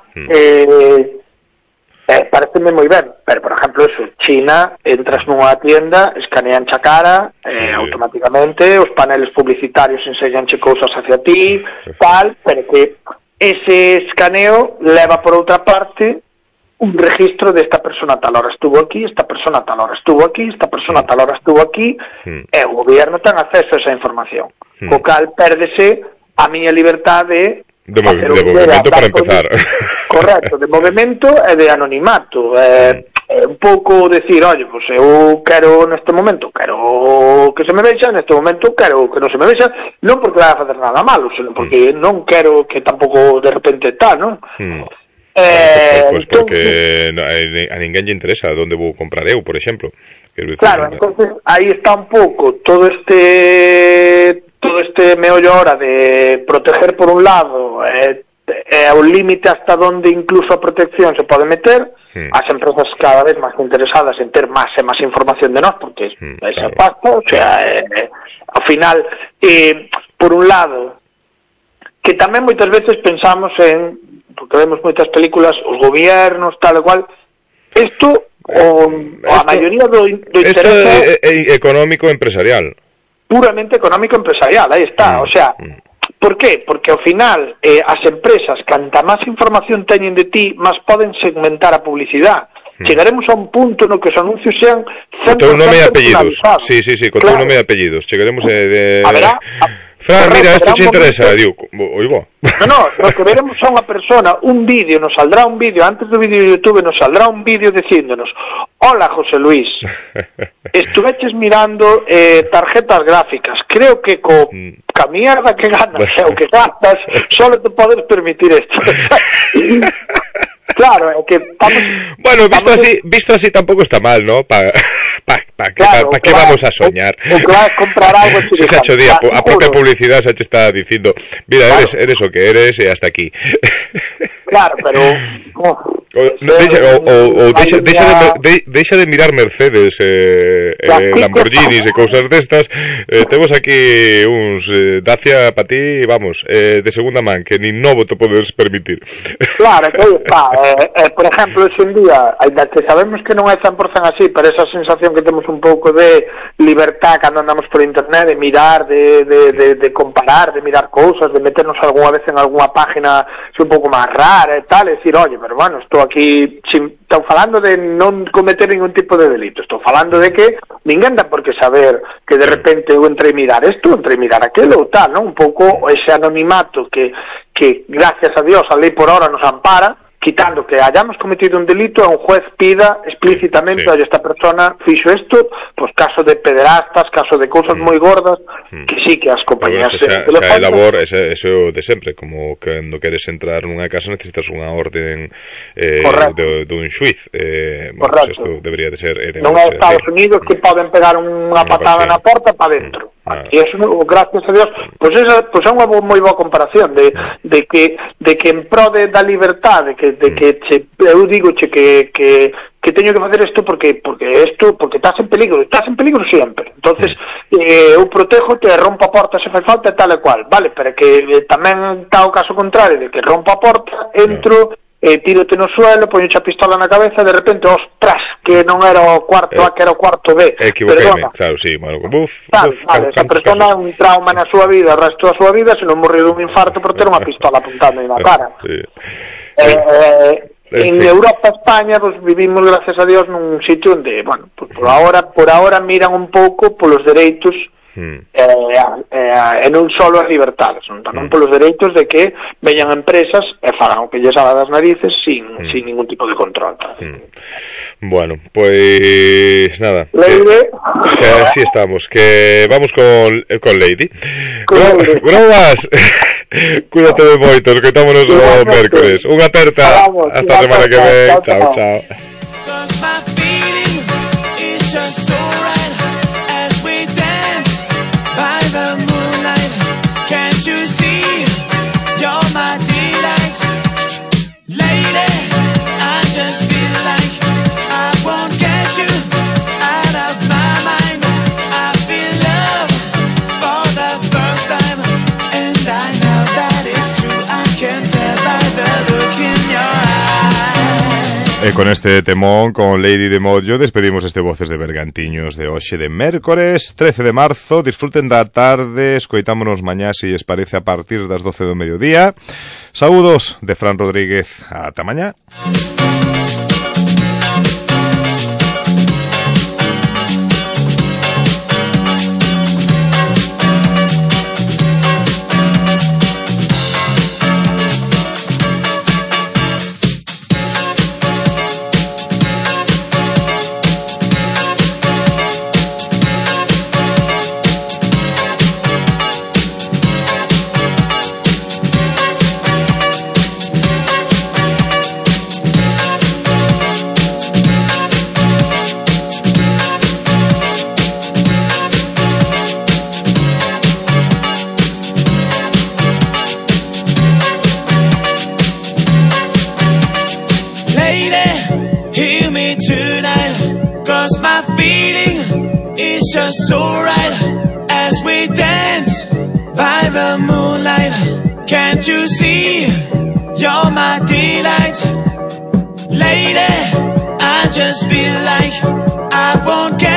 Pareceme moi ben, pero por exemplo eso, China, entras nunha tienda, escanean xa cara, automáticamente os paneles publicitarios enseñanche cousas hacia ti, tal, pero que ese escaneo leva por outra parte un registro de esta persona tal hora estuvo aquí, esta persona tal hora estuvo aquí, esta persona tal hora estuvo aquí, e o goberno ten acceso a esa información, co cal pérdese a miña liberdade de movimento para empezar. Correcto, de movimento e de anonimato. Un pouco decir, oye, pues eu quero neste momento, quero que se me vexa, neste momento quero que non se me vexa, non porque vai a facer nada malo, senón porque non quero que tampouco de repente tal, non? Pues porque a ninguén lle interesa onde vou comprar eu, por exemplo. Claro, entonces aí está un pouco todo este meollo ahora de proteger por un lado a un límite hasta donde incluso a protección se pode meter, as empresas cada vez máis interesadas en ter máis e máis información de nós, porque esa pasta, o sea, ao final por un lado, que tamén moitas veces pensamos porque vemos moitas películas, os gobiernos, tal e cual, isto, a maioría do interés é económico empresarial. Puramente económico empresarial, aí está, o sea, por qué? Porque ao final as empresas, canta máis información teñen de ti, máis poden segmentar a publicidade. Chegaremos a un punto no que os anuncios sean 100% con teu nome e apellidos. personalizados. Sí, con teu nome e apellidos. Chegaremos Haberá... Fran, mira, esto te interesa, digo, oigo. No, lo que veremos a unha persona, un vídeo, nos saldrá un vídeo, antes do vídeo de YouTube nos saldrá un vídeo dicíndonos: hola, José Luis, estuveches mirando tarjetas gráficas, creo que ca mierda que ganas o que gastas, solo te podes permitir esto. Claro, é que estamos... Bueno, visto así tampoco está mal, ¿no? ¿Para qué vamos a soñar? O que vas a comprar algo... Se ha hecho día, a propia publicidad se te está diciendo, mira, claro, eres o que eres y hasta aquí. Claro, pero... Deixa de mirar Mercedes, Lamborghinis e cousas destas. Temos aquí uns Dacia para ti, vamos, de segunda man, que nin novo te podes permitir. Claro, que está. Por exemplo, ese en día, ainda que sabemos que non é 100% así, pero esa sensación que temos un pouco de libertad cando andamos por internet, de mirar, de comparar, de mirar cousas, de meternos algunha vez en algunha página un pouco máis rara e tal, e dicir, oye, pero bueno, estou aquí, estou falando de non cometer ningún tipo de delito, estou falando de que ninguén dá por que saber que de repente eu entrei mirar isto, entrei mirar aquilo ou tal, non? Un pouco ese anonimato que gracias a Dios a lei por hora nos ampara, quitando que hayamos cometido un delito, a un juez pida explícitamente, oye, esta persona fixo isto, pues caso de pederastas, caso de cousas moi gordas, que sí que as compañías... Xa é labor, eso de sempre, como cando queres entrar nunha casa necesitas unha orden dun xuiz. Bueno, pues isto debería de ser... Non é Estados Unidos que poden pegar unha patada na porta para dentro. E eso, gracias a Dios, pues é unha moi boa comparación de que en pro da libertade, eu digo que teño que facer isto porque estás en peligro sempre. Entonces, eu protejo te rompo a porta se fai falta e tal e cual, vale, pero que tamén está o caso contrario de que rompo a porta, entro, tírote no suelo, poño a pistola na cabeza, de repente, ostras, que non era o cuarto A, que era o cuarto B. Equivoqueime, claro, sí, bueno, esa persona un trauma na súa vida, o resto da súa vida, se non morreu dun infarto por ter unha pistola apuntando na cara. En Europa, España, pues vivimos, gracias a Dios, nun sitio onde, bueno, pues por ahora miran un pouco polos dereitos e non solo as libertades, tamén polos dereitos de que veñan empresas e fagan o que lles haga das narices sin ningún tipo de control. Bueno, pues nada, que así estamos, que vamos con Lady. Grobas, cuídate de moito, escoitámonos o mércores. Unha aperta, hasta a semana que ven. Chao. E con este temón, con Lady de Mollo, despedimos este Voces de Bergantiños de hoxe de mércores 13 de marzo. Disfruten da tarde, escoitámonos mañá, se lles parece, a partir das 12 do mediodía. Saúdos de Fran Rodríguez, ata mañá. Just so right as we dance by the the moonlight, can't you see? You're my delight. Lady, I just feel like I won't get